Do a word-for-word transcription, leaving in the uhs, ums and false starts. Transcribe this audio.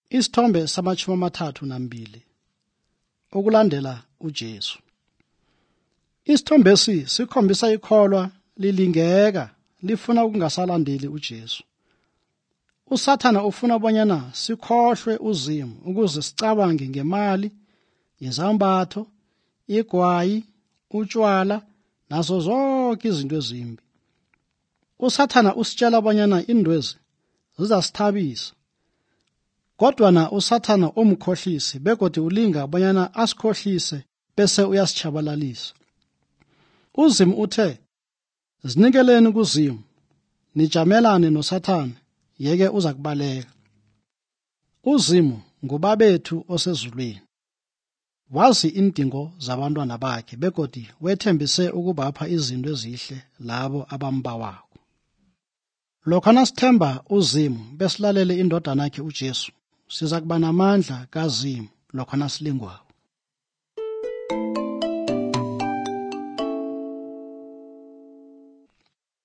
Isithombe samashumi amathathu nambili. Okulandela uJesu. Isithombesi sikhombisa ikholwa lilingeka lifuna ukungasalandeli uJesu. USathana ufuna bonyana sikhohlwe uzimu ukuze sicabange ngemali, izambatho, igwayi, utshwala nazo zonke izinto ezimbi. USathana usitshela bonyana indwezi zizasithabisa. Kodwa na uSathana umkhohlisi begodi ulinga bonyana asikhohlise bese uyasichabalalisa. Uzimu uthe, "Zinikeleni kuzimu, nijamelane noSathana, yeke uza kubaleka." Uzimu ngubabethu osezulwini. Wazi indingo zabantwana bakhe begodi wethembise ukubapha izinto ezihle labo abambawako. Lokho nasithemba uzimu besilalele indodana yakhe uJesu, siza kuba namandla kazimu lokho nasilingwako.